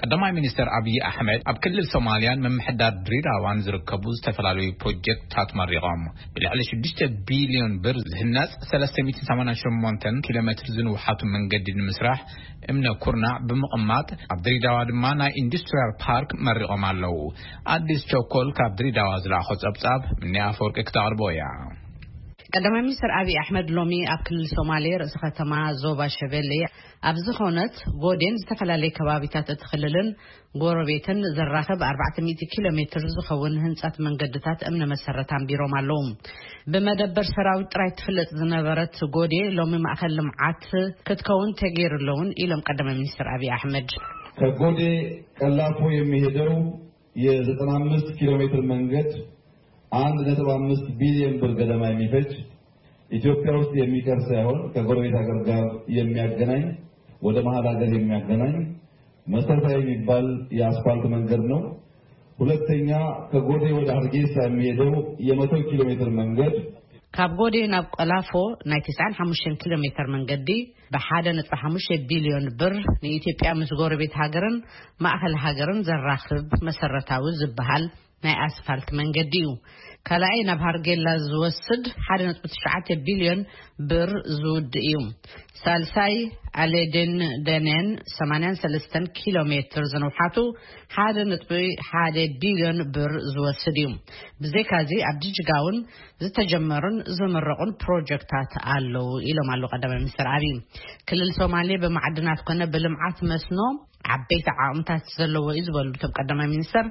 ቀዳማይ ሚኒስተር ኣብይ ኣሕመድ ኣብ ክልል ሶማልያን ምምሕዳር ድሬዳዋን ዝርከቡ ዝተፈላለዩ ፕሮጀክትታት መሪቖም። ብልዕሊ ሽዱሽተ ቢልዮን ብር ዝህነጽ ሰለስተ ሚእትን ሰማንያን ሸሞንተን ኪሎ ሜትር ዝንውሓቱ መንገዲ ንምስራሕ እምነ ኩርናዕ ብምቕማጥ፣ ኣብ ድሬዳዋ ድማ ናይ ኢንዱስትሪያል ፓርክ መሪቖም ኣለዉ። ኣዲስ ቸኮል ካብ ድሬዳዋ ዝለኣኾ ጸብጻብ፣ ምንያ ኣፈወርቂ ክተቕርቦ እያ። ቀዳማይ ሚኒስትር ኣብይ ኣሕመድ ሎሚ ኣብ ክልል ሶማሌ ርእሰ ከተማ ዞባ ሸበሌ ኣብ ዝኾነት ጎዴን ዝተፈላለየ ከባቢታት እቲ ክልልን ጎረቤትን ዘራኽብ ኣርባዕተ ሚእቲ ኪሎ ሜትር ዝኸውን ህንጻት መንገድታት እምነ መሰረት ኣንቢሮም ኣለዉ። ብመደበር ሰራዊት ጥራይ ትፍለጥ ዝነበረት ጎዴ ሎሚ ማእከል ልምዓት ክትከውን ተገይሩ ኣለውን ኢሎም ቀዳማይ ሚኒስትር ኣብይ ኣሕመድ። ከጎዴ ቀላፎ የሚሄደው የ95 ኪሎ ሜትር መንገድ አንድ ነጥብ አምስት ቢሊዮን ብር ገደማ የሚፈጅ፣ ኢትዮጵያ ውስጥ የሚቀር ሳይሆን ከጎረቤት ሀገር ጋር የሚያገናኝ፣ ወደ መሀል ሀገር የሚያገናኝ መሰረታዊ የሚባል የአስፋልት መንገድ ነው። ሁለተኛ፣ ከጎዴ ወደ ሀርጌሳ የሚሄደው የ100 ኪሎ ሜትር መንገድ ካብ ጎዴ ናብ ቀላፎ ናይ ትስዓን ሓሙሽተን ኪሎ ሜትር መንገዲ ብ ሓደ ነጥቢ ሓሙሽተ ቢልዮን ብር ንኢትዮጵያ ምስ ጎረቤት ሃገርን ማእኸል ሃገርን ዘራኽብ መሰረታዊ ዝበሃል ናይ ኣስፋልት መንገዲ እዩ። ካልኣይ ናብ ሃርጌላ ዝወስድ ሓደ ነጥቢ ትሽዓተ ቢልዮን ብር ዝውድእ እዩ። ሳልሳይ ኣሌዴን ደኔን ሰማንያን ሰለስተን ኪሎ ሜትር ዝንውሓቱ ሓደ ነጥቢ ሓደ ቢልዮን ብር ዝወስድ እዩ። ብዘይካዚ ኣብ ጅጅጋ እውን ዝተጀመሩን ዝምረቑን ፕሮጀክታት ኣለዉ ኢሎም ኣለዉ ቀዳማይ ሚኒስትር ኣብይ። ክልል ሶማሌ ብማዕድናት ኮነ ብልምዓት መስኖ ዓበይቲ ዓቕምታት ዘለዎ እዩ ዝበሉ እቶም ቀዳማይ ሚኒስትር፣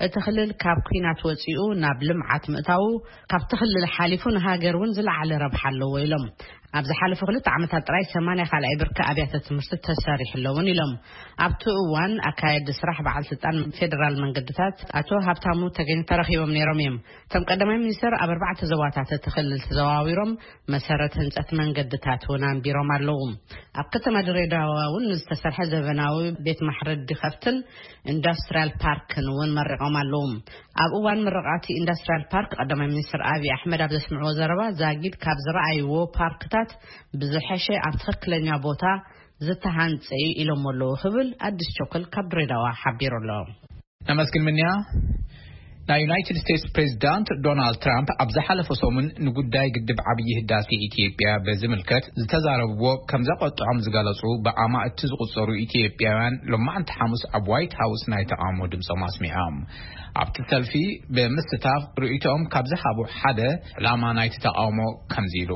እቲ ክልል ካብ ኲናት ወፂኡ ናብ ልምዓት ምእታዉ ካብቲ ክልል ሓሊፉ ንሃገር እውን ዝለዓለ ረብሓ ኣለዎ ኢሎም። ኣብ ዝሓለፉ ክልተ ዓመታት ጥራይ ሰማንያ ካልኣይ ብርኪ ኣብያተ ትምህርቲ ተሰሪሑ ኣለውን ኢሎም። ኣብቲ እዋን ኣካየዲ ስራሕ በዓል ስልጣን ፌዴራል መንገድታት ኣቶ ሃብታሙ ተገኝ ተረኺቦም ነይሮም እዮም። እቶም ቀዳማይ ሚኒስትር ኣብ ኣርባዕተ ዞባታት እቲ ክልል ተዘዋዊሮም መሰረት ህንጸት መንገድታት እውን ኣንቢሮም ኣለዉ። ኣብ ከተማ ድሬዳዋ እውን ዝተሰርሐ ዘበናዊ ቤት ማሕረዲ ከብትን ኢንዱስትሪያል ፓርክን እውን መሪቖም ኣለዉ። ኣብ እዋን ምርቓቲ ኢንዱስትሪያል ፓርክ ቀዳማይ ሚኒስትር ኣብይ ኣሕመድ ኣብ ዘስምዕዎ ዘረባ፣ ዛጊድ ካብ ዝረኣይዎ ፓርክታት ብዝሐሸ ኣብ ትኽክለኛ ቦታ ዝተሃንጸ እዩ ኢሎም ኣለዉ ክብል ኣዲስ ቸኮል ካብ ድሬዳዋ ሓቢሩ ኣሎ። ነመስግን ምንያ። ናይ ዩናይትድ ስቴትስ ፕሬዚዳንት ዶናልድ ትራምፕ ኣብ ዝሓለፈ ሰሙን ንጉዳይ ግድብ ዓብዪ ህዳሴ ኢትዮጵያ በዝምልከት ዝተዛረብዎ ከም ዘቆጥዖም ዝገለጹ ብኣማእቲ ዝቁጸሩ ኢትዮጵያውያን ሎማዕንቲ ሓሙስ ኣብ ዋይት ሃውስ ናይ ተቃውሞ ድምጾም ኣስሚዖም። ኣብቲ ሰልፊ ብምስታፍ ርእይቶኦም ካብ ዝሃቡ ሓደ ዕላማ ናይቲ ተቃውሞ ከምዚ ኢሉ።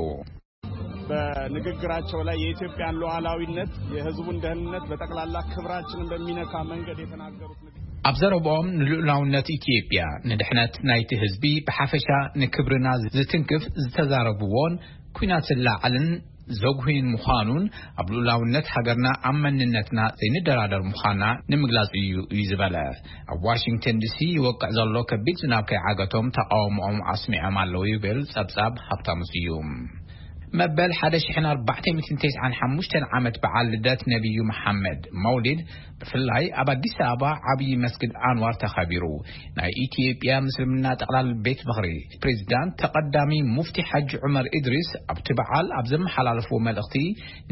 በንግግራቸው ላይ የኢትዮጵያን ሉዓላዊነት፣ የህዝቡን ደህንነት፣ በጠቅላላ ክብራችንን በሚነካ መንገድ የተናገሩት ንግግር። ኣብ ዘረብኦም ንልኡላውነት ኢትዮጵያ፣ ንድሕነት ናይቲ ህዝቢ ብሓፈሻ፣ ንክብርና ዝትንክፍ ዝተዛረብዎን ኲናት ዝለዓልን ዘጉህይን ምዃኑን ኣብ ልኡላውነት ሃገርና ኣብ መንነትና ዘይንደራደር ምዃና ንምግላጽ እዩ እዩ ዝበለ። ኣብ ዋሽንግተን ዲሲ ይወቅዕ ዘሎ ከቢድ ዝናብ ከይዓገቶም ተቃውሞኦም ኣስሚዖም ኣለዉ ይብል ጸብጻብ ሃብታሙ ስዩም። መበል ሓደ ሽሕን ኣርባዕተ ሚእትን ተስዓን ሓሙሽተን ዓመት በዓል ልደት ነቢዩ መሓመድ መውሊድ ብፍላይ ኣብ ኣዲስ ኣበባ ዓብዪ መስጊድ ኣንዋር ተኸቢሩ። ናይ ኢትዮጵያ ምስልምና ጠቕላል ቤት ምኽሪ ፕሬዚዳንት ተቐዳሚ ሙፍቲ ሓጂ ዑመር ኢድሪስ ኣብቲ በዓል ኣብ ዘመሓላለፍዎ መልእኽቲ፣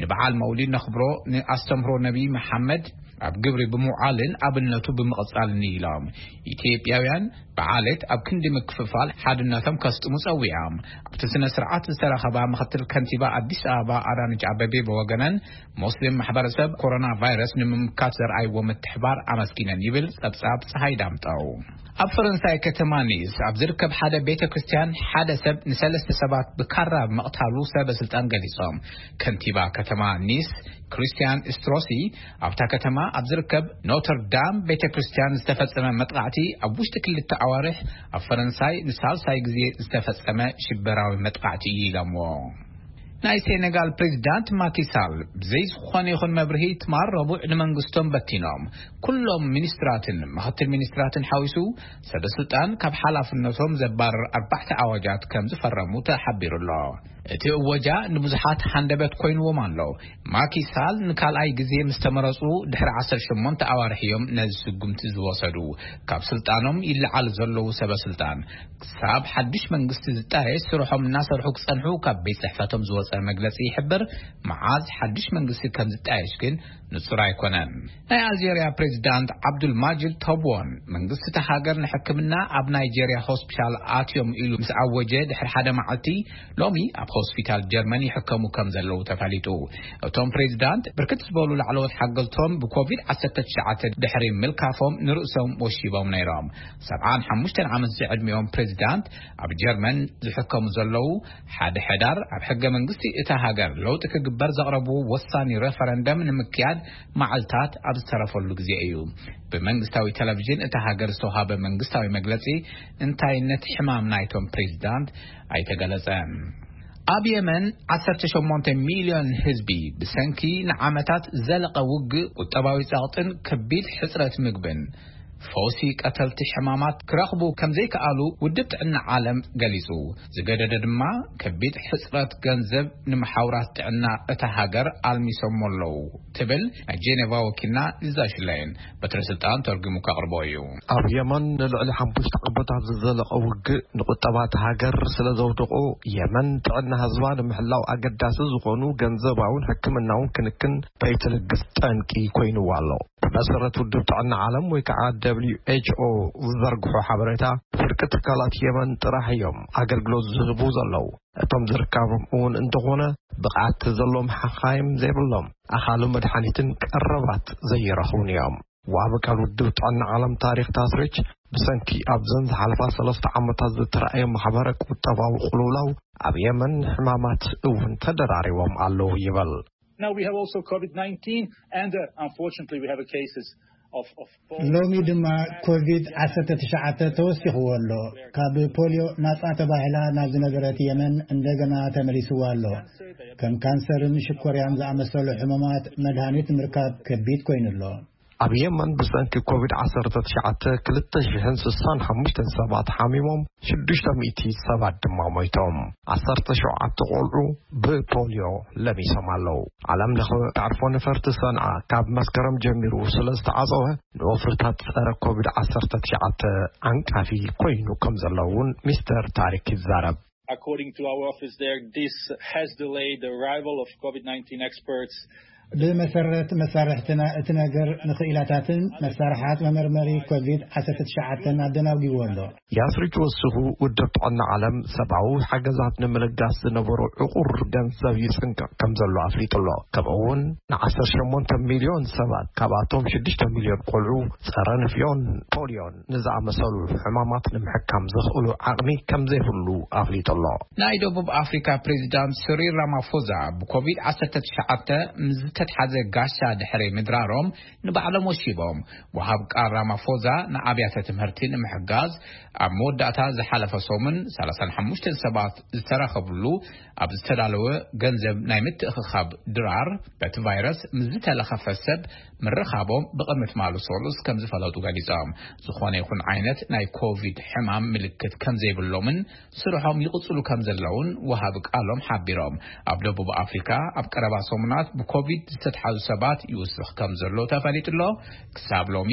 ንበዓል መውሊድ ነኽብሮ፣ ንኣስተምህሮ ነቢ መሓመድ ኣብ ግብሪ ብምውዓልን ኣብነቱ ብምቕጻልን ኢሎም። ኢትዮጵያውያን ብዓሌት ኣብ ክንዲ ምክፍፋል ሓድነቶም ከስጥሙ ጸዊዖም። ኣብቲ ስነ ስርዓት ዝተረኸባ ምኽትል ከንቲባ ኣዲስ ኣበባ ኣዳነች ኣበቤ ብወገነን፣ ሙስሊም ማሕበረሰብ ኮሮና ቫይረስ ንምምካት ዘርኣይዎ ምትሕባር ኣመስጊነን ይብል ጸብጻብ ፀሃይ ዳምጠው። ኣብ ፈረንሳይ ከተማ ኒስ ኣብ ዝርከብ ሓደ ቤተ ክርስቲያን ሓደ ሰብ ንሰለስተ ሰባት ብካራ ምቕታሉ ሰበ ስልጣን ገሊጾም። ከንቲባ ከተማ ኒስ ክሪስቲያን ስትሮሲ ኣብታ ከተማ ኣብ ዝርከብ ኖተር ዳም ቤተ ክርስቲያን ዝተፈጸመ መጥቃዕቲ ኣብ ውሽጢ ክልተ ኣዋርሕ ኣብ ፈረንሳይ ንሳልሳይ ግዜ ዝተፈጸመ ሽበራዊ መጥቃዕቲ እዩ ኢሎምዎ። ናይ ሴኔጋል ፕሬዚዳንት ማኪሳል ብዘይ ዝኾነ ይኹን መብርሂ ትማል ረቡዕ ንመንግስቶም በቲኖም። ኩሎም ሚኒስትራትን ምኽትል ሚኒስትራትን ሓዊሱ ሰበ ስልጣን ካብ ሓላፍነቶም ዘባርር ኣርባዕተ ኣዋጃት ከም ዝፈረሙ ተሓቢሩ ኣሎ። እቲ እወጃ ንብዙሓት ሃንደበት ኮይንዎም ኣሎ። ማኪሳል ንካልኣይ ግዜ ምስ ተመረጹ ድሕሪ ዓሰርተ ሸሞንተ ኣዋርሕ እዮም ነዚ ስጉምቲ ዝወሰዱ። ካብ ስልጣኖም ይለዓሉ ዘለዉ ሰበ ስልጣን ክሳብ ሓድሽ መንግስቲ ዝጣየሽ ስርሖም እናሰርሑ ክጸንሑ ካብ ቤት ጽሕፈቶም ዝወጸ መግለጺ ይሕብር። መዓዝ ሓድሽ መንግስቲ ከም ዝጣየሽ ግን ንጹር ኣይኮነን። ናይ ኣልጀርያ ፕሬዚዳንት ዓብዱል ማጅድ ተቦን መንግስቲ እታ ሃገር ንሕክምና ኣብ ናይጄርያ ሆስፒታል ኣትዮም ኢሉ ምስ ኣወጀ ድሕሪ ሓደ መዓልቲ፣ ሎሚ ኣብ ሆስፒታል ጀርመን ይሕከሙ ከም ዘለዉ ተፈሊጡ። እቶም ፕሬዚዳንት ብርክት ዝበሉ ላዕለዎት ሓገዝቶም ብኮቪድ ዓሰርተ ትሽዓተ ድሕሪ ምልካፎም ንርእሶም ወሺቦም ነይሮም። ሰብዓን ሓሙሽተን ዓመት ዝዕድሚኦም ፕሬዚዳንት ኣብ ጀርመን ዝሕከሙ ዘለዉ፣ ሓደ ሕዳር ኣብ ሕገ መንግስቲ እታ ሃገር ለውጢ ክግበር ዘቕረብዎ ወሳኒ ሬፈረንደም ንምክያድ መዓልታት ኣብ ዝተረፈሉ ግዜ እዩ። ብመንግስታዊ ቴሌቪዥን እታ ሃገር ዝተዋሃበ መንግስታዊ መግለጺ እንታይነት ሕማም ናይቶም ፕሬዚዳንት ኣይተገለጸን። ኣብ የመን ዓሰርተ ሸሞንተ ሚልዮን ህዝቢ ብሰንኪ ንዓመታት ዝዘለቐ ውግእ፣ ቁጠባዊ ጸቕጥን ከቢድ ሕጽረት ምግብን ፈውሲ ቀተልቲ ሕማማት ክረኽቡ ከም ዘይከኣሉ ውድብ ጥዕና ዓለም ገሊጹ። ዝገደደ ድማ ከቢድ ሕጽረት ገንዘብ ንመሓውራት ጥዕና እታ ሃገር ኣልሚሶሞ ኣለዉ ትብል ናይ ጄኔቫ ወኪልና ሊዛ ሽላይን በትረ ስልጣን ተርጉሙ ከቕርቦ እዩ። ኣብ የመን ንልዕሊ ሓሙሽተ ዓመታት ዝዘለቐ ውግእ ንቁጠባ እታ ሃገር ስለ ዘውደቖ፣ የመን ጥዕና ህዝባ ንምሕላው ኣገዳሲ ዝኾኑ ገንዘባውን ሕክምናውን ክንክን ከይትልግስ ጠንቂ ኮይንዋ ኣሎ። ብመሰረት ውድብ ጥዕና ዓለም ወይ ከዓ ደብሊው ኤች ኦ ዝዘርግሖ ሓበሬታ፣ ፍርቂ ትካላት የመን ጥራሕ እዮም ኣገልግሎት ዝህቡ ዘለዉ። እቶም ዝርካቦም እውን እንተኾነ ብቕዓት ዘለዎም ሓኻይም ዘይብሎም፣ ኣኻሉ መድሓኒትን ቀረባት ዘይረኽቡን እዮም። ዋቢ ቃል ውድብ ጥዕና ዓለም ታሪክ ታስሪች፣ ብሰንኪ ኣብዘን ዝሓለፋ ሰለስተ ዓመታት ዝተራእየ ማሕበረ ቁጠባዊ ቅልውላው ኣብ የመን ሕማማት እውን ተደራሪቦም ኣለዉ ይበል። Now we have also COVID nineteen, and uh, unfortunately we have a cases of, of polio. ሎሚ ድማ ኮቪድ ዓሰርተ ትሽዓተ ተወሲኽዎ ኣሎ። ካብ ፖሊዮ ናጻ ተባሂላ ናብ ዝነበረት የመን እንደገና ተመሊስዋ ኣሎ። ከም ካንሰርን ሽኮርያን ዝኣመሰሉ ሕሙማት መድሃኒት ምርካብ ከቢድ ኮይኑ ኣሎ። ኣብ የመን ብሰንኪ ኮቪድ ዓሰርተ ትሽዓተ ክልተ ሽሕን ስሳን ሓሙሽተን ሰባት ሓሚሞም፣ ሽዱሽተ ሚእቲ ሰባት ድማ ሞይቶም። ዓሰርተ ሸውዓተ ቆልዑ ብፖሊዮ ለሚሶም ኣለዉ። ዓለም ለኸ መዕርፎ ነፈርቲ ሰንዓ ካብ መስከረም ጀሚሩ ስለ ዝተዓጸወ፣ ንወፍርታት ጸረ ኮቪድ ዓሰርተ ትሽዓተ ዓንቃፊ ኮይኑ ከም ዘሎ እውን ሚስተር ታሪክ ይዛረብ። According to our office there, this has delayed the arrival of COVID nineteen experts. ብመሰረት መሳርሕትና እቲ ነገር ንኽኢላታትን መሳርሓት መመርመሪ ኮቪድ ዓሰርተ ትሽዓተን ኣደናጒዎ ኣሎ። ያስሪች ወስኹ ውድብ ጥዕና ዓለም ሰብኣዊ ሓገዛት ንምልጋስ ዝነበሮ ዕቑር ገንዘብ ይጽንቀቕ ከም ዘሎ ኣፍሊጡ ኣሎ። ከምኡ እውን ንዓሰርተ ሸሞንተ ሚልዮን ሰባት ካብኣቶም ሽዱሽተ ሚልዮን ቆልዑ ጸረ ንፍዮን ፖሊዮን ንዝኣመሰሉ ሕማማት ንምሕካም ዘኽእሉ ዓቕሚ ከም ዘይብሉ ኣፍሊጡ ኣሎ። ናይ ደቡብ ኣፍሪካ ፕሬዚዳንት ስሪል ራማፎዛ ብኮቪድ ዓሰርተ ትሽዓተ ምስ ዝተትሓዘ ጋሻ ድሕሪ ምድራሮም ንባዕሎም ወሺቦም። ወሃብ ቃል ራማፎዛ ንኣብያተ ትምህርቲ ንምሕጋዝ ኣብ መወዳእታ ዝሓለፈ ሰሙን ሰላሳን ሓሙሽተን ሰባት ዝተረኸብሉ ኣብ ዝተዳለወ ገንዘብ ናይ ምትእኽኻብ ድራር በቲ ቫይረስ ምስ ዝተለኸፈ ሰብ ምርኻቦም ብቕድሚ ትማሊ ሰሉስ ከም ዝፈለጡ ገሊጾም። ዝኾነ ይኹን ዓይነት ናይ ኮቪድ ሕማም ምልክት ከም ዘይብሎምን ስርሖም ይቕጽሉ ከም ዘለውን ወሃቢ ቃሎም ሓቢሮም። ኣብ ደቡብ ኣፍሪካ ኣብ ቀረባ ሰሙናት ብኮቪድ ዝተትሓዙ ሰባት ይውስኽ ከም ዘሎ ተፈሊጡ ኣሎ። ክሳብ ሎሚ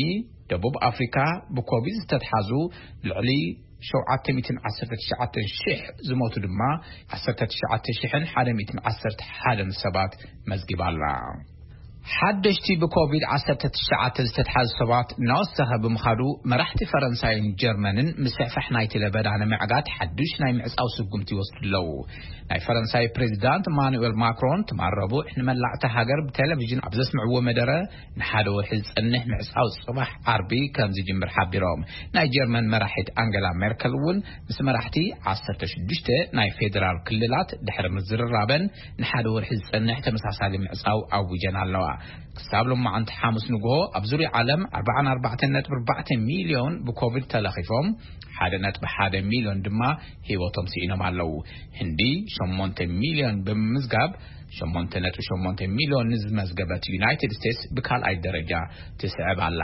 ደቡብ ኣፍሪካ ብኮቪድ ዝተትሓዙ ልዕሊ ሸውዓተ ሚእትን ዓሰርተ ትሽዓተን ሽሕ፣ ዝሞቱ ድማ ዓሰርተ ትሽዓተ ሽሕን ሓደ ሚእትን ዓሰርተ ሓደን ሰባት መዝጊባ ኣላ። ሓደሽቲ ብኮቪድ ዓሰርተ ትሽዓተ ዝተትሓዙ ሰባት እናወሰኸ ብምኻዱ፣ መራሕቲ ፈረንሳይን ጀርመንን ምስሕፋሕ ናይቲ ለበዳ ንምዕጋት ሓዱሽ ናይ ምዕጻው ስጉምቲ ይወስዱ ኣለዉ። ናይ ፈረንሳይ ፕሬዚዳንት ማኑኤል ማክሮን ትማል ረቡዕ ንመላእታ ሃገር ብቴሌቪዥን ኣብ ዘስምዕዎ መደረ፣ ንሓደ ወርሒ ዝጸንሕ ምዕጻው ጽባሕ ዓርቢ ከም ዝጅምር ሓቢሮም። ናይ ጀርመን መራሒት ኣንገላ ሜርከል እውን ምስ መራሕቲ ዓሰርተ ሽዱሽተ ናይ ፌዴራል ክልላት ድሕሪ ምዝርራበን ንሓደ ወርሒ ዝጸንሕ ተመሳሳሊ ምዕጻው ኣዊጀን ኣለዋ። ክሳብ ሎማዓንቲ ሓሙስ ንግሆ ኣብ ዙርያ ዓለም ኣርባዓን ኣርባዕተን ነጥቢ ኣርባዕተ ሚልዮን ብኮቪድ ተለኺፎም፣ ሓደ ነጥቢ ሓደ ሚልዮን ድማ ህይወቶም ስኢኖም ኣለዉ። ህንዲ ሸሞንተ ሚልዮን ብምምዝጋብ ሸሞንተ ነጥቢ ሸሞንተ ሚልዮን ንዝመዝገበት ዩናይትድ ስቴትስ ብካልኣይ ደረጃ ትስዕብ ኣላ።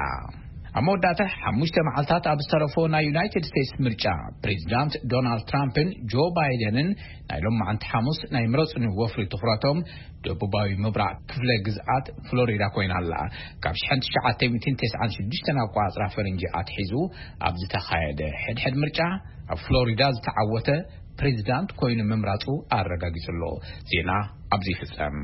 ኣብ መወዳእታ ሓሙሽተ መዓልታት ኣብ ዝተረፎ ናይ ዩናይትድ ስቴትስ ምርጫ ፕሬዚዳንት ዶናልድ ትራምፕን ጆ ባይደንን ናይ ሎማዓንቲ ሓሙስ ናይ ምረጹኒ ወፍሪ ትኹረቶም ደቡባዊ ምብራቕ ክፍለ ግዝኣት ፍሎሪዳ ኮይና ኣላ። ካብ ሽሕን ትሽዓተ ሚእትን ተስዓን ሽዱሽተን ኣቋጽራ ፈረንጂ ኣትሒዙ ኣብ ዝተኻየደ ሕድሕድ ምርጫ ኣብ ፍሎሪዳ ዝተዓወተ ፕሬዚዳንት ኮይኑ ምምራጹ ኣረጋጊጹ ኣሎ። ዜና ኣብዚ ይፍጸም።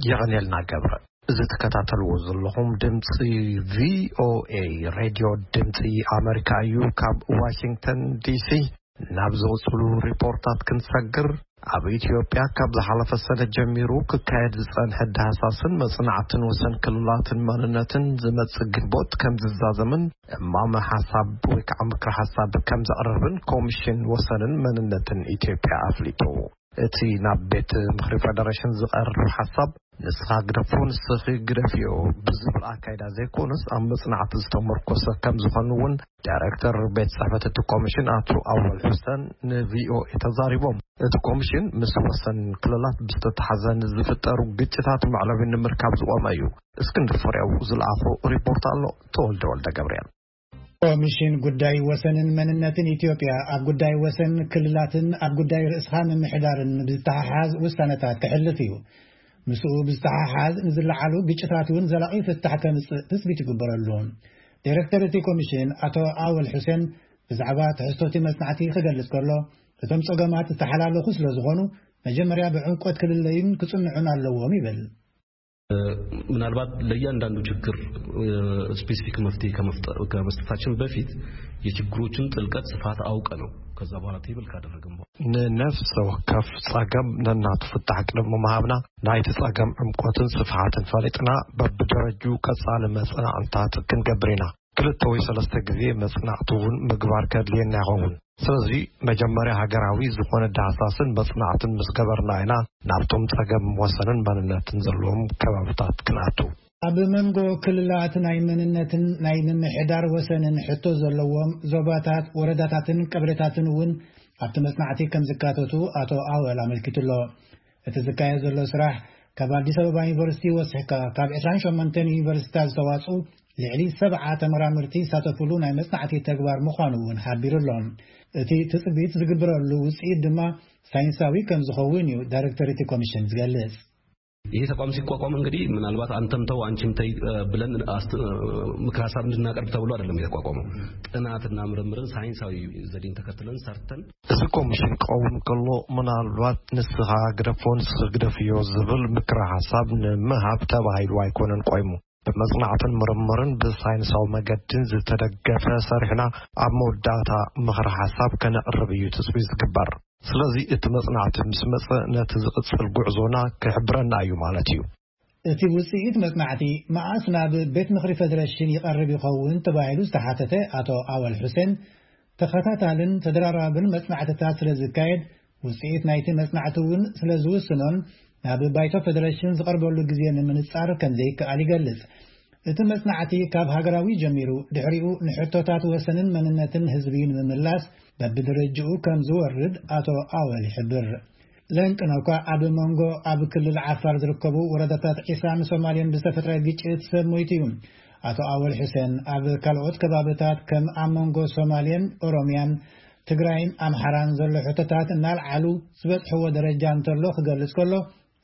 የቐንየልና ገብረ። እዚ ትከታተልዎ ዘለኹም ድምፂ ቪ ኦ ኤ ሬድዮ ድምፂ ኣመሪካ እዩ። ካብ ዋሽንግተን ዲ ሲ ናብ ዝቕፅሉ ሪፖርታት ክንሰግር፣ ኣብ ኢትዮጵያ ካብ ዝሓለፈ ሰነ ጀሚሩ ክካየድ ዝፀንሐ ዳህሳስን መፅናዕትን ወሰን ክልላትን መንነትን ዝመፅእ ግንቦት ከም ዝዛዘምን እማመ ሓሳብ ወይ ከዓ ምክረ ሓሳብ ከም ዘቕርብን ኮሚሽን ወሰንን መንነትን ኢትዮጵያ ኣፍሊጡ። እቲ ናብ ቤት ምኽሪ ፌደሬሽን ዝቐርብ ሓሳብ ንስኻ ግደፎ ንስኺ ግደፍዮ ብዝብል ኣካይዳ ዘይኮነስ ኣብ መጽናዕቲ ዝተመርኮሰ ከም ዝኾኑ እውን ዳይሬክተር ቤት ጽሕፈት እቲ ኮሚሽን ኣቶ ኣወል ሑሰን ን ቪ ኦ ኤ ተዛሪቦም። እቲ ኮሚሽን ምስ ወሰን ክልላት ብዝተተሓዘ ንዝፍጠሩ ግጭታት መዕለቢ ንምርካብ ዝቖመ እዩ። እስክንድር ፍሬው ዝለኣኾ ሪፖርት ኣሎ። ተወልደ ወልደ ገብርኤል። ኮሚሽን ጉዳይ ወሰንን መንነትን ኢትዮጵያ ኣብ ጉዳይ ወሰን ክልላትን ኣብ ጉዳይ ርእስኻ ምምሕዳርን ብዝተሓሓዝ ውሳነታት ከሕልፍ እዩ። ምስኡ ብዝተሓሓዝ ንዝለዓሉ ግጭታት እውን ዘላቒ ፍታሕ ከምጽእ ትጽቢት ይግበረሉ። ዳይሬክተር እቲ ኮሚሽን ኣቶ ኣወል ሑሴን ብዛዕባ ትሕዝቶ እቲ መጽናዕቲ ክገልጽ ከሎ፣ እቶም ጸገማት ዝተሓላለኹ ስለ ዝኾኑ መጀመርያ ብዕምቆት ክልለዩን ክጽንዑን ኣለዎም ይብል። ምናልባት ለእያንዳንዱ ችግር ስፔሲፊክ መፍትሄ ከመስጠታችን በፊት የችግሮችን ጥልቀት ስፋት አውቀ ነው ከዛ በኋላ ቴብል ካደረግን በኋላ ንነፍሰ ወከፍ ጸገም ነናቱ ፍታሕ ቅድሚ ምሃብና ናይቲ ጸገም ዕምቆትን ስፍሓትን ፈሊጥና በብደረጁ ቀጻሊ መጽናዕንታት ክንገብር ኢና። ክልተ ወይ ሰለስተ ግዜ መጽናዕቲ እውን ምግባር ከድልየና ይኸውን። ስለዚ መጀመርያ ሃገራዊ ዝኾነ ዳህሳስን መጽናዕትን ምስ ገበርና ኢና ናብቶም ጸገም ወሰንን መንነትን ዘለዎም ከባብታት ክንኣቱ። ኣብ መንጎ ክልላት ናይ መንነትን ናይ ምምሕዳር ወሰንን ሕቶ ዘለዎም ዞባታት፣ ወረዳታትን ቀበሌታትን እውን ኣብቲ መጽናዕቲ ከም ዝካተቱ ኣቶ ኣወል ኣመልኪቱ ኣሎ። እቲ ዝካየድ ዘሎ ስራሕ ካብ ኣዲስ ኣበባ ዩኒቨርሲቲ ወሲሕካ ካብ ዕስራን ሸሞንተን ዩኒቨርሲቲታት ዝተዋፅኡ ልዕሊ ሰብዓ ተመራመርቲ ዝሳተፍሉ ናይ መጽናዕቲ ተግባር ምዃኑ እውን ሓቢሩ ኣሎ። እቲ ትጽቢት ዝግበረሉ ውጽኢት ድማ ሳይንሳዊ ከም ዝኸውን እዩ ዳይሬክተር እቲ ኮሚሽን ዝገልጽ። ይሄ ተቋም ሲቋቋም እንግዲህ ምናልባት አንተምተው አንቺምተይ ብለን ምክር ሀሳብ እንድናቀርብ ተብሎ አይደለም የተቋቋመው። ጥናትና ምርምርን ሳይንሳዊ ዘዴን ተከትለን ሰርተን እዚ ኮሚሽን ክኸውን ከሎ ምናልባት ንስኻ ግደፎ ንስኺ ግደፍዮ ዝብል ምክረ ሓሳብ ንምሃብ ተባሂሉ ኣይኮነን ቆይሙ። ብመጽናዕትን ምርምርን ብሳይንሳዊ መገድን ዝተደገፈ ሰሪሕና ኣብ መወዳእታ ምኽሪ ሓሳብ ከነቕርብ እዩ ትጽቢት ዝግበር። ስለዚ እቲ መጽናዕቲ ምስ መጸ ነቲ ዝቕጽል ጉዕዞና ክሕብረና እዩ ማለት እዩ። እቲ ውፅኢት መጽናዕቲ መዓስ ናብ ቤት ምኽሪ ፌደሬሽን ይቐርብ ይኸውን ተባሂሉ ዝተሓተተ ኣቶ ኣወል ሑሴን፣ ተኸታታልን ተደራራብን መጽናዕትታት ስለ ዝካየድ ውፅኢት ናይቲ መጽናዕቲ እውን ስለ ዝውስኖን ናብ ባይቶ ፌደሬሽን ዝቐርበሉ ግዜ ንምንጻር ከም ዘይከኣል ይገልጽ። እቲ መጽናዕቲ ካብ ሃገራዊ ጀሚሩ ድሕሪኡ ንሕቶታት ወሰንን መንነትን ህዝቢ ንምምላስ በብደረጅኡ ከም ዝወርድ ኣቶ ኣወል ይሕብር። ለንቅነኳ ኣብ መንጎ ኣብ ክልል ዓፋር ዝርከቡ ወረዳታት ዒሳን ሶማሌን ብዝተፈጥረ ግጭት ሰብ ሞይቱ እዩ። ኣቶ ኣወል ሑሴን ኣብ ካልኦት ከባብታት ከም ኣብ መንጎ ሶማሌን ኦሮሚያን ትግራይን ኣምሓራን ዘሎ ሕቶታት እናልዓሉ ዝበፅሕዎ ደረጃ እንተሎ ክገልፅ ከሎ፣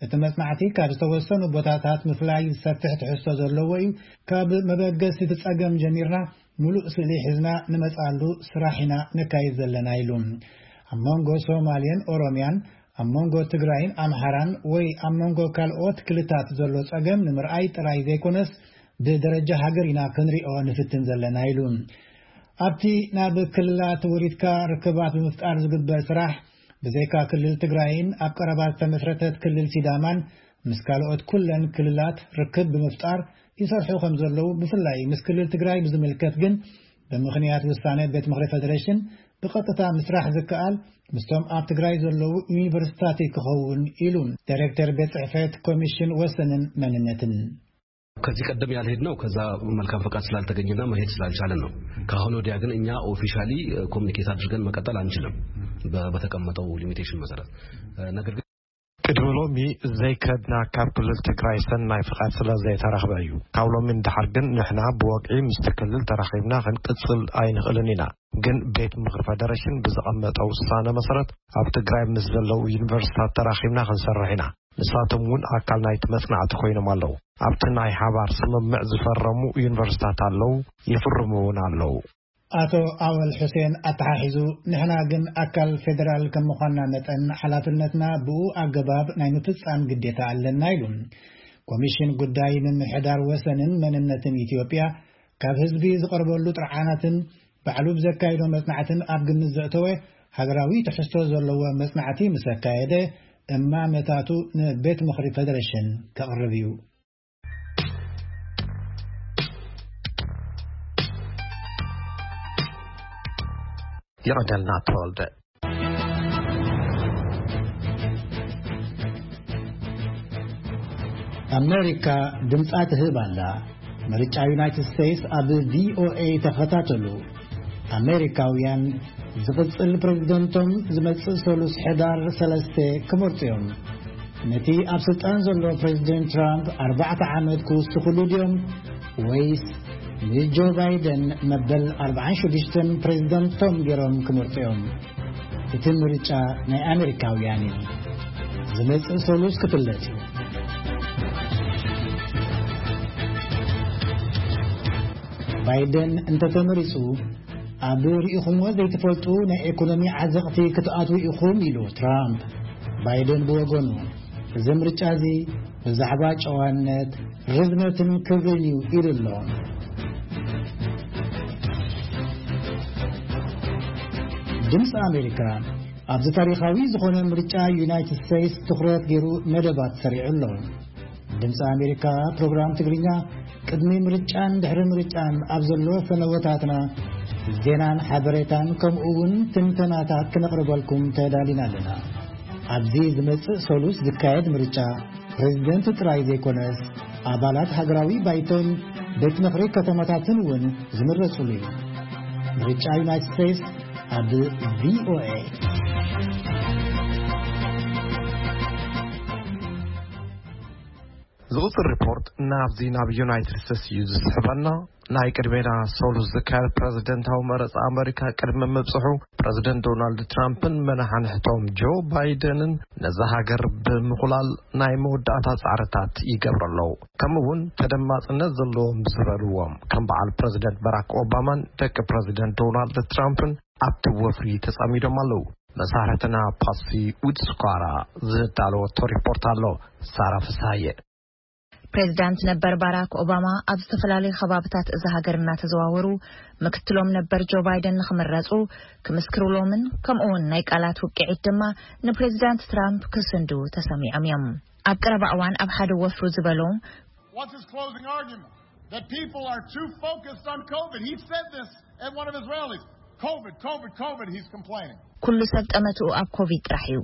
እቲ መጽናዕቲ ካብ ዝተወሰኑ ቦታታት ምፍላይ ዝሰፍሕ ትሕዝቶ ዘለዎ እዩ። ካብ መበገሲ እቲ ጸገም ጀሚርና ሙሉእ ስእሊ ሒዝና ንመጽኣሉ ስራሕ ኢና ነካይድ ዘለና ኢሉ። ኣብ መንጎ ሶማሌን ኦሮሚያን፣ ኣብ መንጎ ትግራይን ኣምሓራን ወይ ኣብ መንጎ ካልኦት ክልታት ዘሎ ጸገም ንምርኣይ ጥራይ ዘይኮነስ ብደረጃ ሃገር ኢና ክንሪኦ ንፍትን ዘለና ኢሉ። ኣብቲ ናብ ክልላት ወሪድካ ርክባት ብምፍጣር ዝግበር ስራሕ ብዘይካ ክልል ትግራይን ኣብ ቀረባ ዝተመስረተት ክልል ሲዳማን ምስ ካልኦት ኩለን ክልላት ርክብ ብምፍጣር ይሰርሑ ከም ዘለዉ፣ ብፍላይ ምስ ክልል ትግራይ ብዝምልከት ግን ብምኽንያት ውሳነ ቤት ምኽሪ ፌደሬሽን ብቐጥታ ምስራሕ ዝከኣል ምስቶም ኣብ ትግራይ ዘለዉ ዩኒቨርሲታት ክኸውን ኢሉ ዳይሬክተር ቤት ጽሕፈት ኮሚሽን ወሰንን መንነትን። ከዚህ ቀደም ያልሄድ ነው ከዛ መልካም ፈቃድ ስላልተገኘና መሄድ ስላልቻለን ነው። ከአሁን ወዲያ ግን እኛ ኦፊሻሊ ኮሚኒኬት አድርገን መቀጠል አንችልም በተቀመጠው ሊሚቴሽን መሰረት። ነገር ግን ቅድሚ ሎሚ ዘይከድና ካብ ክልል ትግራይ ሰናይ ፍቓድ ስለ ዘይተረኽበ እዩ። ካብ ሎሚ ንድሓር ግን ንሕና ብወግዒ ምስቲ ክልል ተራኺብና ክንቅጽል ኣይንኽእልን ኢና። ግን ቤት ምኽሪ ፈደረሽን ብዝቐመጠ ውሳነ መሰረት ኣብ ትግራይ ምስ ዘለዉ ዩኒቨርሲታት ተራኺብና ክንሰርሕ ኢና። ንሳቶም እውን ኣካል ናይቲ መጽናዕቲ ኮይኖም ኣለዉ። ኣብቲ ናይ ሓባር ስምምዕ ዝፈረሙ ዩኒቨርሲታት ኣለዉ፣ ይፍርሙ እውን ኣለዉ። ኣቶ ኣወል ሑሴን ኣተሓሒዙ፣ ንሕና ግን ኣካል ፌደራል ከም ምዃንና መጠን፣ ሓላፍነትና ብኡ ኣገባብ ናይ ምፍጻም ግዴታ ኣለና ኢሉ። ኮሚሽን ጉዳይ ምምሕዳር ወሰንን መንነትን ኢትዮጵያ፣ ካብ ህዝቢ ዝቐርበሉ ጥርዓናትን ባዕሉ ብዘካይዶ መጽናዕትን ኣብ ግምት ዘእተወ ሃገራዊ ትሕዝቶ ዘለዎ መጽናዕቲ ምስ ኣካየደ፣ እማመታቱ ንቤት ምኽሪ ፌደሬሽን ከቕርብ እዩ። ይቐደልና ተወልደ። ኣሜሪካ ድምጻ ትህብ ኣላ። ምርጫ ዩናይትድ ስቴትስ ኣብ ቪኦኤ ተኸታተሉ። ኣሜሪካውያን ዝቕጽል ፕሬዝደንቶም ዝመጽእ ሰሉስ ሕዳር ሰለስተ ክመርጹ እዮም። ነቲ ኣብ ስልጣን ዘሎ ፕሬዝደንት ትራምፕ ኣርባዕተ ዓመት ክውስኹሉ ድዮም፣ ወይስ ንጆ ባይደን መበል ኣርባዓን ሽዱሽተን ፕሬዝደንቶም ገይሮም ክመርጹ እዮም? እቲ ምርጫ ናይ ኣሜሪካውያን እዩ። ዝመጽእ ሰሉስ ክፍለጥ እዩ። ባይደን እንተተመሪጹ፣ ኣብ ርኢኹምዎ ዘይትፈልጡ ናይ ኢኮኖሚ ዓዘቕቲ ክትኣትዉ ኢኹም ኢሉ ትራምፕ። ባይደን ብወገኑ፣ እዚ ምርጫ እዚ ብዛዕባ ጨዋነት፣ ርዝነትን ክብርን እዩ ኢሉ ኣሎ። ድምፂ ኣሜሪካ ኣብዚ ታሪኻዊ ዝኾነ ምርጫ ዩናይትድ ስቴትስ ትኹረት ገይሩ መደባት ሰሪዑ ኣሎ። ድምፂ ኣሜሪካ ፕሮግራም ትግርኛ ቅድሚ ምርጫን ድሕሪ ምርጫን ኣብ ዘሎ ፈነወታትና ዜናን ሓበሬታን ከምኡ እውን ትንተናታት ክነቕርበልኩም ተዳሊና ኣለና። ኣብዚ ዝመጽእ ሰሉስ ዝካየድ ምርጫ ፕሬዝደንት ጥራይ ዘይኮነስ ኣባላት ሃገራዊ ባይቶን ቤት ምኽሪ ከተማታትን እውን ዝምረጹሉ እዩ። ምርጫ ዩናይትድ ስቴትስ ኣብ ቪኦኤ። ዝቕጽል ሪፖርት ናብዚ ናብ ዩናይትድ ስቴትስ እዩ ዝስሕበና። ናይ ቅድሜና ሰሉስ ዝካየድ ፕረዚደንታዊ መረጻ ኣመሪካ ቅድሚ ምብጽሑ፣ ፕረዚደንት ዶናልድ ትራምፕን መናሓንሕቶም ጆ ባይደንን ነዛ ሃገር ብምኹላል ናይ መወዳእታ ጻዕርታት ይገብሩ ኣለዉ። ከምኡ እውን ተደማጽነት ዘለዎም ዝበልዎም ከም በዓል ፕረዚደንት ባራክ ኦባማን ደቂ ፕረዚደንት ዶናልድ ትራምፕን ኣብቲ ወፍሪ ተጸሚዶም ኣለዉ። መሳርሕትና ፓሲ ውድስኳራ ዝዳለወቶ ሪፖርት ኣሎ። ሳራ ፍስሃየ። ፕሬዚዳንት ነበር ባራክ ኦባማ ኣብ ዝተፈላለዩ ከባብታት እዛ ሃገር እናተዘዋወሩ፣ ምክትሎም ነበር ጆ ባይደን ንኽምረጹ ክምስክሩሎምን ከምኡ እውን ናይ ቃላት ውቅዒት ድማ ንፕሬዚዳንት ትራምፕ ክስንዱ ተሰሚዖም እዮም። ኣብ ቀረባ እዋን ኣብ ሓደ ወፍሩ ዝበሎ፣ What's his closing argument? That people are too focused on COVID. He said this at one of his rallies. COVID, COVID, COVID, he's complaining. ኩሉ ሰብ ጠመትኡ ኣብ ኮቪድ ጥራሕ እዩ።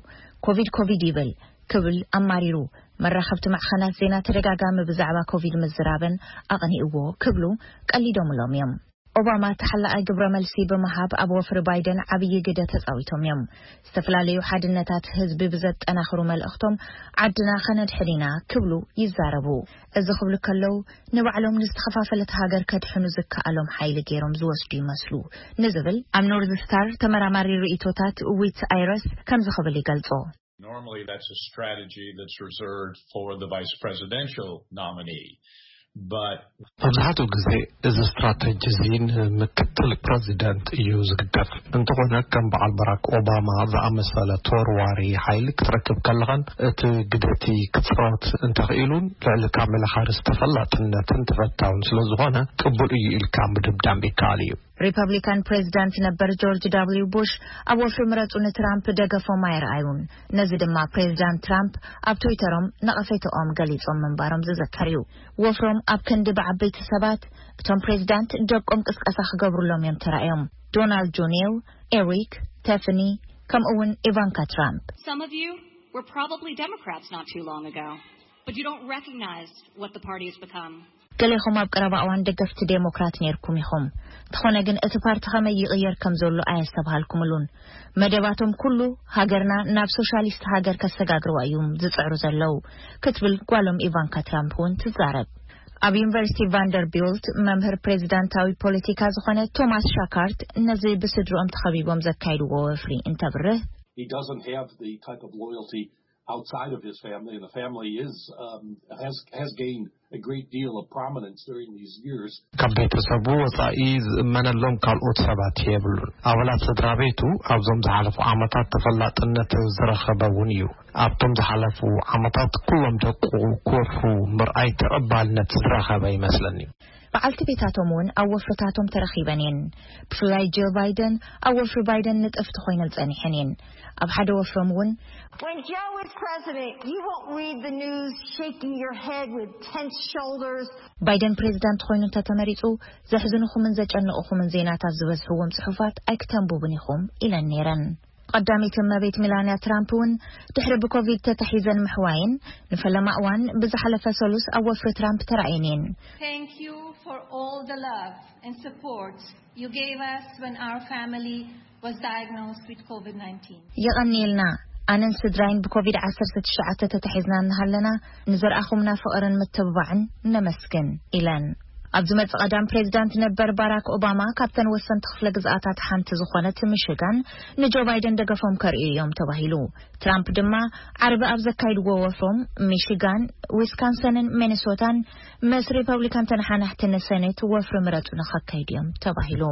ኮቪድ፣ ኮቪድ ይብል ክብል ኣማሪሩ። መራኸብቲ ማዕኸናት ዜና ተደጋጋሚ ብዛዕባ ኮቪድ ምዝራበን ኣቕኒእዎ ክብሉ ቀሊዶምሎም እዮም። ኦባማ ተሓላቓይ ግብረ መልሲ ብምሃብ ኣብ ወፍሪ ባይደን ዓብዪ ግደ ተጻዊቶም እዮም። ዝተፈላለዩ ሓድነታት ህዝቢ ብዘጠናኽሩ መልእኽቶም ዓድና ከነድሕን ኢና ክብሉ ይዛረቡ። እዚ ክብሉ ከለዉ ንባዕሎም ንዝተኸፋፈለት ሃገር ከድሕኑ ዝከኣሎም ሓይሊ ገይሮም ዝወስዱ ይመስሉ ንዝብል ኣብ ኖርዝ ስታር ተመራማሪ ርእይቶታት ዊት ኣይረስ ከምዚ ክብል ይገልጾ። Normally, that's a strategy that's reserved for the vice presidential nominee. But መብዛሕትኡ ግዜ እዚ ስትራተጂ እዚ ንምክትል ፕረዚደንት እዩ ዝግደፍ። እንተኾነ ከም በዓል ባራክ ኦባማ ዝኣመሰለ ተወርዋሪ ሓይሊ ክትረክብ ከለኻን እቲ ግደቲ ክጻወት እንተኽኢሉን ልዕሊ ካሜላ ሃሪስ ተፈላጥነትን ተፈታውን ስለ ዝኾነ ቅቡል እዩ ኢልካ ምድምዳም ይከኣል እዩ። ሪፐብሊካን ፕሬዚዳንት ነበር ጆርጅ ዳብሊው ቡሽ ኣብ ወፍሪ ምረጹ ንትራምፕ ደገፎም ኣይረኣዩን። ነዚ ድማ ፕሬዚዳንት ትራምፕ ኣብ ትዊተሮም ነቐፌተኦም ገሊጾም ምንባሮም ዝዝከር እዩ። ወፍሮም ኣብ ክንዲ ብዓበይቲ ሰባት፣ እቶም ፕሬዚዳንት ደቆም ቅስቀሳ ክገብሩሎም እዮም ተራእዮም። ዶናልድ ጁኒየር፣ ኤሪክ፣ ቴፍኒ፣ ከምኡ እውን ኢቫንካ ትራምፕ። Some of you were probably Democrats not too long ago, but you don't recognize what the party has become. ገሌኹም ኣብ ቀረባ እዋን ደገፍቲ ዴሞክራት ነይርኩም ኢኹም። እንተኾነ ግን እቲ ፓርቲ ከመይ ይቕየር ከም ዘሎ ኣየስተብሃልኩምሉን። መደባቶም ኩሉ ሃገርና ናብ ሶሻሊስት ሃገር ከሰጋግርዋ እዮም ዝጽዕሩ ዘለዉ ክትብል ጓሎም ኢቫንካ ትራምፕ እውን ትዛረብ። ኣብ ዩኒቨርሲቲ ቫንደርቢልት መምህር ፕሬዚዳንታዊ ፖለቲካ ዝኾነ ቶማስ ሻካርት ነዚ ብስድርኦም ተኸቢቦም ዘካይድዎ ወፍሪ እንተብርህ፣ He doesn't have the type of loyalty outside of his family, and the family is um, has has gained a great deal of prominence during these years. ካብ ቤተሰቡ ወጻኢ ዝእመነሎም ካልኦት ሰባት የብሉን። ኣባላት ስድራ ቤቱ ኣብዞም ዝሓለፉ ዓመታት ተፈላጥነት ዝረኸበ እውን እዩ። ኣብቶም ዝሓለፉ ዓመታት ኩሎም ደቁ ክወፍሩ ምርኣይ ተቐባልነት ዝረኸበ ይመስለኒ። በዓልቲ ቤታቶም እውን ኣብ ወፍርታቶም ተረኺበን እየን። ብፍላይ ጆ ባይደን ኣብ ወፍሪ ባይደን ንጥፍቲ ኮይነን ጸኒሐን እየን። ኣብ ሓደ ወፍሮም እውን When Joe is president, you won't read the news shaking your head with tense shoulders. ባይደን ፕሬዚዳንት ኮይኑ እንተተመሪጹ ዘሕዝኑኹምን ዘጨንቑኹምን ዜናታት ዝበዝሕዎም ጽሑፋት ኣይክተንብቡን ኢኹም ኢለን ነይረን። ቀዳመይቲ እመቤት ሚላንያ ትራምፕ እውን ድሕሪ ብኮቪድ ተታሒዘን ምሕዋየን ንፈለማ እዋን ብዝሓለፈ ሰሉስ ኣብ ወፍሪ ትራምፕ ተራእየን እየን። Thank you for all the love and support you gave us when our family was diagnosed with COVID nineteen. የቐንየልና። ኣነን ስድራይን ብኮቪድ ዓሰርተ ትሽዓተ ተታሒዝና እናሃለና ንዘርኣኹምና ፍቕርን ምትብባዕን ነመስግን ኢለን። ኣብ ዝመጽእ ቀዳም ፕሬዚዳንት ነበር ባራክ ኦባማ ካብተን ወሰንቲ ክፍለ ግዝኣታት ሓንቲ ዝኾነት ሚሽጋን ንጆ ባይደን ደገፎም ከርእዩ እዮም ተባሂሉ። ትራምፕ ድማ ዓርቢ ኣብ ዘካይድዎ ወፍሮም ሚሽጋን፣ ዊስካንሰንን ሚኒሶታን ምስ ሪፐብሊካን ተነሓናሕቲ ንሰኔት ወፍሪ ምረጹ ንኸካይዱ እዮም ተባሂሉ።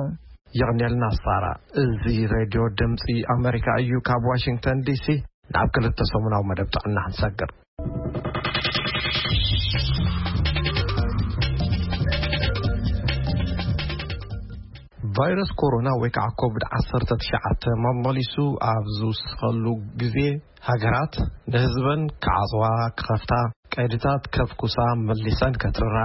የቕንየልና ሳራ። እዚ ሬድዮ ድምፂ ኣሜሪካ እዩ። ካብ ዋሽንግተን ዲሲ ናብ ክልተ ሰሙናዊ መደብ ጥዕና ክንሰግር። ቫይረስ ኮሮና ወይ ከዓ ኮቪድ ዓሰርተ ትሽዓተ መመሊሱ ኣብ ዝውስኸሉ ግዜ ሃገራት ንህዝበን ክዓፅዋ፣ ክኸፍታ፣ ቀይድታት ከፍኩሳ፣ መሊሰን ከትርራ፣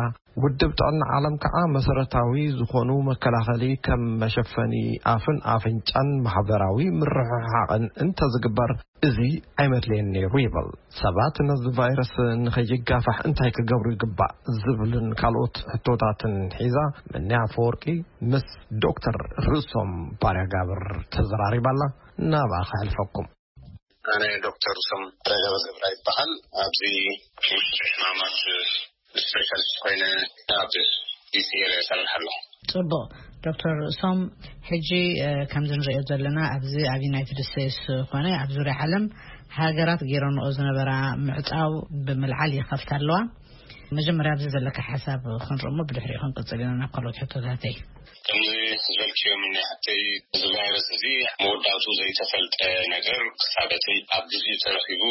ውድብ ጥዕና ዓለም ከዓ መሰረታዊ ዝኾኑ መከላኸሊ ከም መሸፈኒ ኣፍን ኣፍንጫን ማሕበራዊ ምርሕሓቕን እንተዝግበር እዚ ኣይመድለየን ነይሩ ይብል። ሰባት ነዚ ቫይረስ ንኸይጋፋሕ እንታይ ክገብሩ ይግባእ ዝብልን ካልኦት ሕቶታትን ሒዛ ምንያ ኣፈወርቂ ምስ ዶክተር ርእሶም ባርያ ጋብር ተዘራሪባላ። ናብኣ ከሕልፈኩም። ኣነ ዶክተር ርእሶም ባርያ ጋብር ገብራ ይበሃል። ኣብዚ ውሽጢ ሕማማት ስፔሻሊስት ኮይነ ኣብ ዲሲ ኤሪያ ይሰርሕ ኣለኹ። ጽቡቕ። ዶክተር ርእሶም፣ ሕጂ ከምዚ ንሪኦ ዘለና ኣብዚ ኣብ ዩናይትድ ስቴትስ ኮነ ኣብ ዙርያ ዓለም ሃገራት ገይረንኦ ዝነበራ ምዕጻው ብምልዓል ይኸፍታ ኣለዋ። መጀመርያ ኣብዚ ዘለካ ሓሳብ ክንርኢ እሞ ብድሕሪኡ ክንቅጽል ኢና ናብ ካልኦት ሕቶታተይ። ከምዚ ዝበልክዮ ምንያ ሓተይ፣ እዚ ቫይረስ እዚ መወዳእቱ ዘይተፈልጠ ነገር ክሳበትን ኣብ ግዜኡ ተረኺቡ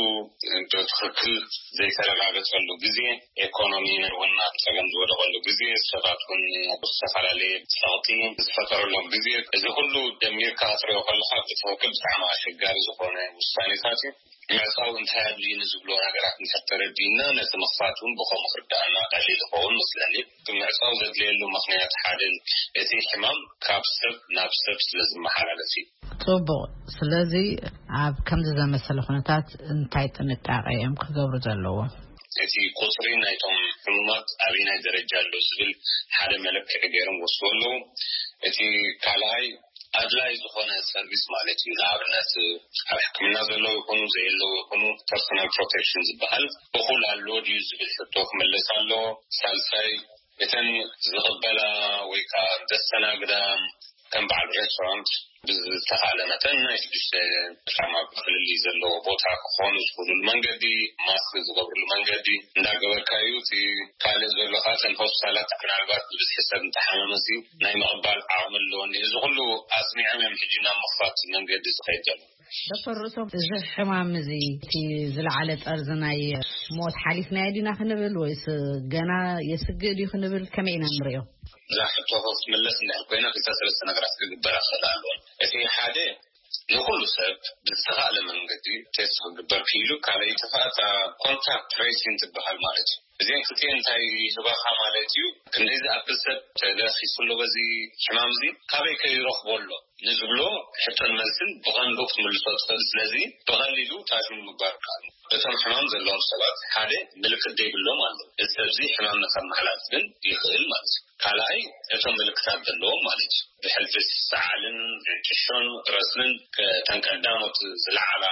ብትኽክል ዘይተረጋገጸሉ ግዜ፣ ኤኮኖሚ እውን ኣብ ጸገም ዝወደቐሉ ግዜ፣ ሰባት እውን ብዝተፈላለየ ጸቕጢ ዝፈጠረሎም ግዜ፣ እዚ ኩሉ ደሚርካ ክትሪኦ ከለኻ ብትኽክል ብጣዕሚ ኣሸጋሪ ዝኾነ ውሳኔታት እዩ። ምዕጻው እንታይ ኣድልዩኒ ዝብሎ ነገራት እንድሕር ተረዲእና፣ ነቲ ምኽፋት እውን ብኸምኡ ክርዳእና ቀሊል ይኸውን መስለኒ። እቲ ምዕጻው ዘድልየሉ ምኽንያት ሓደ እቲ ሕማም ካብ ሰብ ናብ ሰብ ስለ ዝመሓላለፍ እዩ። ጽቡቕ። ስለዚ ኣብ ከምዚ ዘመሰለ ኩነታት እንታይ ጥንቃቄ እዮም ክገብሩ ዘለዎም? እቲ ቁጽሪ ናይቶም ሕሙማት ኣበይናይ ደረጃ ኣሎ ዝብል ሓደ መለክዒ ገይሮም ወስዱ ኣለዉ። እቲ ካልኣይ ኣድላይ ዝኾነ ሰርቪስ ማለት እዩ። ንኣብነት ኣብ ሕክምና ዘለዉ ይኹኑ ዘየለዉ ይኹኑ ፐርሶናል ፕሮቴክሽን ዝበሃል እኹል ኣሎ ድዩ ዝብል ሕቶ ክምለስ ኣለዎ። ሳልሳይ እተን ዝቕበላ ወይ ከዓ ዘስተናግዳ ከም በዓል ሬስቶራንት ብዝተኻለ መጠን ናይ ሽዱሽተ ጫማ ፍልልይ ዘለዎ ቦታ ክኾኑ ዝኽእሉሉ መንገዲ፣ ማስክ ዝገብርሉ መንገዲ እንዳገበርካ እዩ። እቲ ካልእ ዘሎ ከዓ እተን ሆስፒታላት ምናልባት ብብዝሒ ሰብ እንተሓመመ እዚ ናይ ምቕባል ዓቕሚ ኣለወን። እዚ ኩሉ ኣጽኒዖም እዮም ሕጂ ናብ ምኽፋት መንገዲ ዝኸይድ ዘሎ። ዶክተር ርእሶም፣ እዚ ሕማም እዚ እቲ ዝለዓለ ጠርዚ ናይ ሞት ሓሊፍናዮ ዲና ክንብል ወይስ ገና የስግእ ድዩ ክንብል ከመይ ኢና ንሪኦ? እዛ ሕቶ ክትምለስ እንድሕር ኮይና ክልተ ሰለስተ ነገራት ክግበራ ክኽእል ኣለወን። እቲ ሓደ ንኩሉ ሰብ ብዝተኻእለ መንገዲ ቴስት ክግበር ክኢሉ፣ ካልኣይቲ ከዓ እታ ኮንታክት ትሬሲንግ ትበሃል ማለት እዩ። እዚአን ክልቲአን እንታይ ይህባኻ ማለት እዩ? ክንደይ ዝኣክል ሰብ ተለኺሱ ኣሎ በዚ ሕማም እዚ? ካበይ ከ ይረኽቦ ኣሎ? ንዝብሎ ሕቶን መልስን ብቐንዱ ክትምልሶ ትኽእል። ስለዚ ብቐሊሉ ታሽሙ ምግባር ይከኣል። እቶም ሕማም ዘለዎም ሰባት ሓደ ምልክት ዘይብሎም ኣሎ። እዚ ሰብ እዚ ሕማም ንኸመሓላልፍ ግን ይኽእል ማለት እዩ። ካልኣይ እቶም ምልክታት ዘለዎም ማለት እዩ። ብሕልፊ ሰዓልን ሕንጭሾን ረስንን ከተን ቀዳሞት ዝለዓላ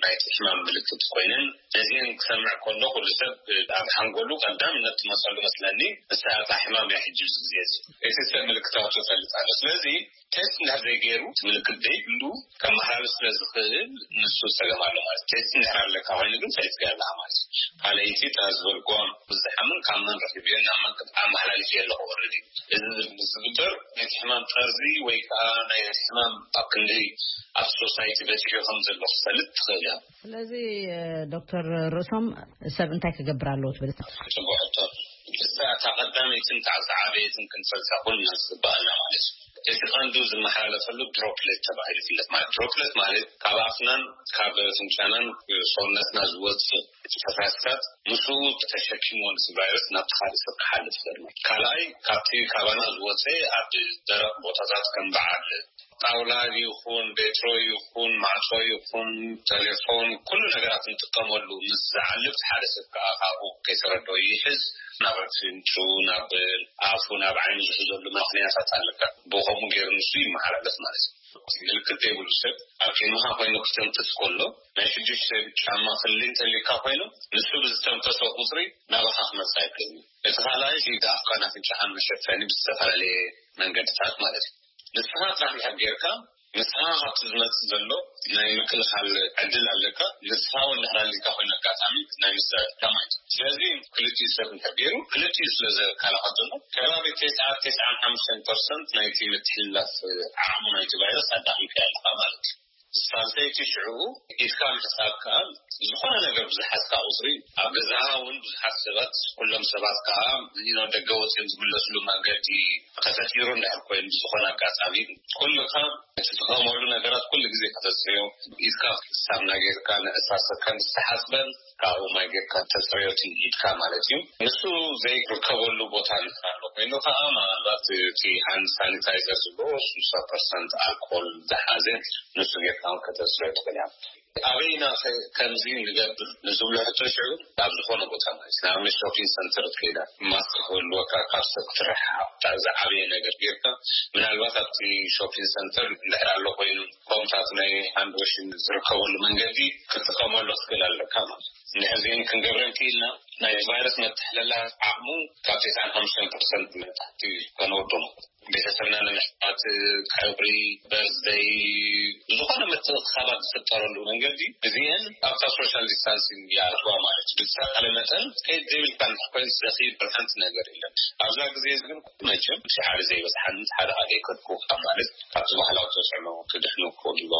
ናይቲ ሕማም ምልክት ኮይነን ነዚአን ክሰምዕ ከሎ ኩሉ ሰብ ኣብ ሓንጎሉ ቀዳምነት ትመፀሉ መስለኒ። እሳ እታ ሕማም እያ ሕጂ ኣብዚ ግዜ እዚ እቲ ሰብ ምልክታቱ ይፈልጥ ኣሎ። ስለዚ ቴስት እንድሕር ዘይገይሩ እቲ ምልክት ዘይብሉ ከመሓላልፍ ስለ ዝኽእል ንሱ ፀገም ኣሎ ማለት። ቴስት እንድሕር ኣለካ ኮይኑ ግን ፈሊጥካ ኣለካ ማለት እዩ። ካልኣይቲ እታ ዝበልክዋ ዝሓምን ካብ መን ረኺብዮ ናብ መን ኣመሓላልፍ ኣለኹ ኦልሬዲ እዚ ዝግበር ናይቲ ሕማም ጠርዚ ወይ ከዓ ናይ ሕማም ኣብ ክንዲ ኣብ ሶሳይቲ በፂሑ ከም ዘሎ ክፈልጥ ትኽእል እያ። ስለዚ ዶክተር ርእሶም ሰብ እንታይ ክገብር ኣለዎ ትብል? ፅቡቅ ሕቶ። እሳ እታ ቀዳመይትን እታ ዝዓበየትን ክንፈልጣ ኩልና ዝግባኣና ማለት እዩ። እቲ ቀንዱ ዝመሓላለፈሉ ድሮፕሌት ተባሂሉ ይፍለጥ። ማለት ድሮፕሌት ማለት ካብ ኣፍናን ካብ ፍንጫናን ሰውነትና ዝወፅእ ፈሳስታት ምስኡ ተሸኪምዎ ነቲ ቫይረስ ናብቲ ካልእ ሰብ ክሓልፍ ይኽእል ማለት እዩ። ካልኣይ ካብቲ ካባና ዝወፀ ኣብ ደረቕ ቦታታት ከም በዓል ጣውላ ይኹን ቤትሮ ይኹን ማዕጾ ይኹን ቴሌፎን ኩሉ ነገራት ንጥቀመሉ ምስ ዝዓልብ ሓደ ሰብ ከዓ ካብኡ ከይተረድኦ ይሕዝ ናብ ኣፍንጭኡ ናብ ኣፉ ናብ ዓይኑ ዝሕዘሉ ምኽንያታት ኣለካ። ብኸምኡ ገይሩ ንሱ ይመሓላለፍ ማለት እዩ። ምልክት ዘይብሉ ሰብ ኣብ ቅድሚኻ ኮይኑ ክተንፍስ ከሎ ናይ ሽዱሽተ ጫማ ክሊ እንተልካ ኮይኑ ንሱ ብዝተንፈሶ ቁፅሪ ናባኻ ክመፅእ ኣይክእልን እዩ። እቲ ካልኣይ እቲ ኣፍካን ኣፍንጫኻን መሸፈኒ ብዝተፈላለየ መንገድታት ማለት እዩ። ንስኻ ጥራሕ እንድሕር ጌርካ ንስኻ ካብቲ ዝመፅእ ዘሎ ናይ ምክልኻል ዕድል ኣለካ። ንስኻ እውን እንድሕር ኣሊካ ኮይኑ ኣጋጣሚ ናይ ምዝራብ ኢልካ ማለት እዩ። ስለዚ ክልቲኡ ሰብ እንድሕር ገይሩ ክልቲኡ ስለ ዘከላኸል ዘሎ ከባቢ ተስዓ ተስዓን ሓሙሽተን ፐርሰንት ናይቲ ምትሕልላፍ ዓቕሚ ናይቲ ቫይረስ ኣዳኺምካ ኣለኻ ማለት እዩ። ሳልሰይቲ ሽዑ ኢድካ ምሕጻብ ከኣ ዝኾነ ነገር ብዝሓዝካ ቁጽሪ ኣብ ገዛኻ እውን ብዙሓት ሰባት ኩሎም ሰባት ከኣ ደገ ወጺኦም ዝምለስሉ መንገዲ ከተጽይሩ እንድሕር ኮይኑ ብዝኾነ ኣጋጣሚ ኩልኻ እትጥቀመሉ ነገራት ኩሉ ግዜ ከተጽርዮ ኢድካ ሳምና ጌርካ ንዕስራ ሰከንድ ዝተሓጽበን ካብኡ ማይ ጌርካ ተጽርዮ ኢድካ ማለት እዩ። ንሱ ዘይርከበሉ ቦታ እንድሕር ኣሎ ኮይኑ ከዓ ምናልባት እቲ ሃንድ ሳኒታይዘር ዝብሎ ስልሳ ፐርሰንት ኣልኮል ዝሓዘ ንሱ ጌርካ እውን ከተጽርዮ ትኽእል እያ። ኣበይና ከምዚ ንገብር ንዝብሎ ሕቶ ሽዑ ኣብ ዝኾነ ቦታ ማለት እዩ። ንኣብነት ሾፒንግ ሰንተር ትከይዳ ማስክ ክህልወካ ካብ ሰብ ክትረሓሓቕ ዝዓበየ ነገር ጌርካ ምናልባት ኣብቲ ሾፒንግ ሰንተር እንድሕር ኣሎ ኮይኑ ፖምታት ናይ ሃንድ ዋሽን ዝርከበሉ መንገዲ ክትጥቀመሉ ክትክእል ኣለካ ማለት እዩ። እንድሕር ዚን ክንገብረን ክኢልና ናይ ቫይረስ መተሓለላ ዓቕሙ ካብ ተስዓን ሓሙሽተን ፐርሰንት ንታሕቲ ከነወርዶ ማለት እዩ። ቤተሰብና ንምሕታት ቀብሪ በርዝደይ ዝኾነ ምትእኽኻባት ዝፍጠረሉ መንገዲ እዚአን ኣብታ ሶሻል ዲስታንሲንግ ይኣትዋ ማለት እዩ። ብዝተኻለ መጠን ከይድ ዘይብልካ እንተኮይን ዘኽይድ ሓንቲ ነገር የለን። ኣብዛ ግዜ ግን መቸም ሓደ ዘይበፅሓን ሓደ ሓደ ይከድኩ ማለት ካብቲ ባህላዊ ተፅዕኖ ክድሕኑ ክኽእሉ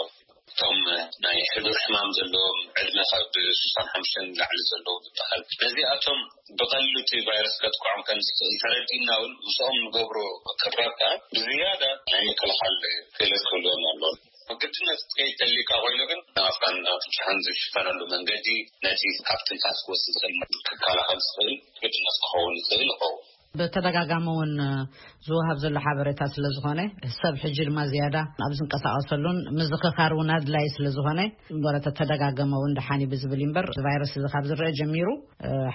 እቶም ናይ ሕዱር ሕማም ዘለዎም ዕድመ ካብ ስሳን ሓሙሽተን ንላዕሊ ዘለዉ ዝበሃል ነዚኣቶም ብቐሊሉ እቲ ቫይረስ ከጥቅዖም ከም ዝኽእል ተረዲእና እውን ምስኦም ንገብሮ ቅርራብ ከዓ ብዝያዳ ናይ ምክልኻል ክእለት ክህልዎም ኣለዎም። ግድነት ክትከይድ ተሊካ ኮይኑ ግን ኣፍካን ኣፍንጫኻን ዝሽፈነሉ መንገዲ ነቲ ካብ ትንፋስ ክወፅእ ዝኽእል ክከላኸል ዝኽእል ግድነት ክኸውን ይኽእል ይኸውን። ብተደጋጋሚ እውን ዝወሃብ ዘሎ ሓበሬታ ስለ ዝኾነ ሰብ ሕጂ ድማ ዝያዳ ኣብ ዝንቀሳቐሰሉን ምዝኽኻር እውን ኣድላይ ስለ ዝኾነ እምበረ ተተደጋገመ እውን ደሓን እዩ ብዝብል እዩ እምበር ቫይረስ እዚ ካብ ዝረአ ጀሚሩ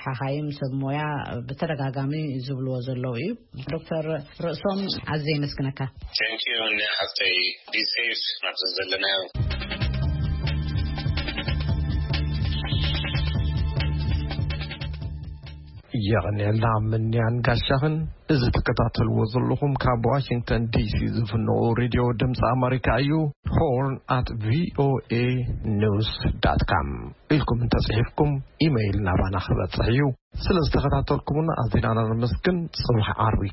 ሓኻይም ሰብ ሞያ ብተደጋጋሚ ዝብልዎ ዘለዉ እዩ። ዶክተር ርእሶም ኣዝየ የመስግነካ። Thank you ንሓፍተይ። Be safe ናብዚ ዘለናዮ። የቐንየልና ምንያን ጋሻኽን። እዚ ትከታተልዎ ዘለኹም ካብ ዋሽንግተን ዲሲ ዝፍንዎ ሬድዮ ድምፂ ኣመሪካ እዩ። ሆርን ኣት ቪኦኤ ኒውስ ዳት ካም ኢልኩም እንተፅሒፍኩም ኢመይል ናባና ክበፅሕ እዩ። ስለ ዝተኸታተልኩምና ኣዚና ነመስግን። ፅባሕ ዓርቢ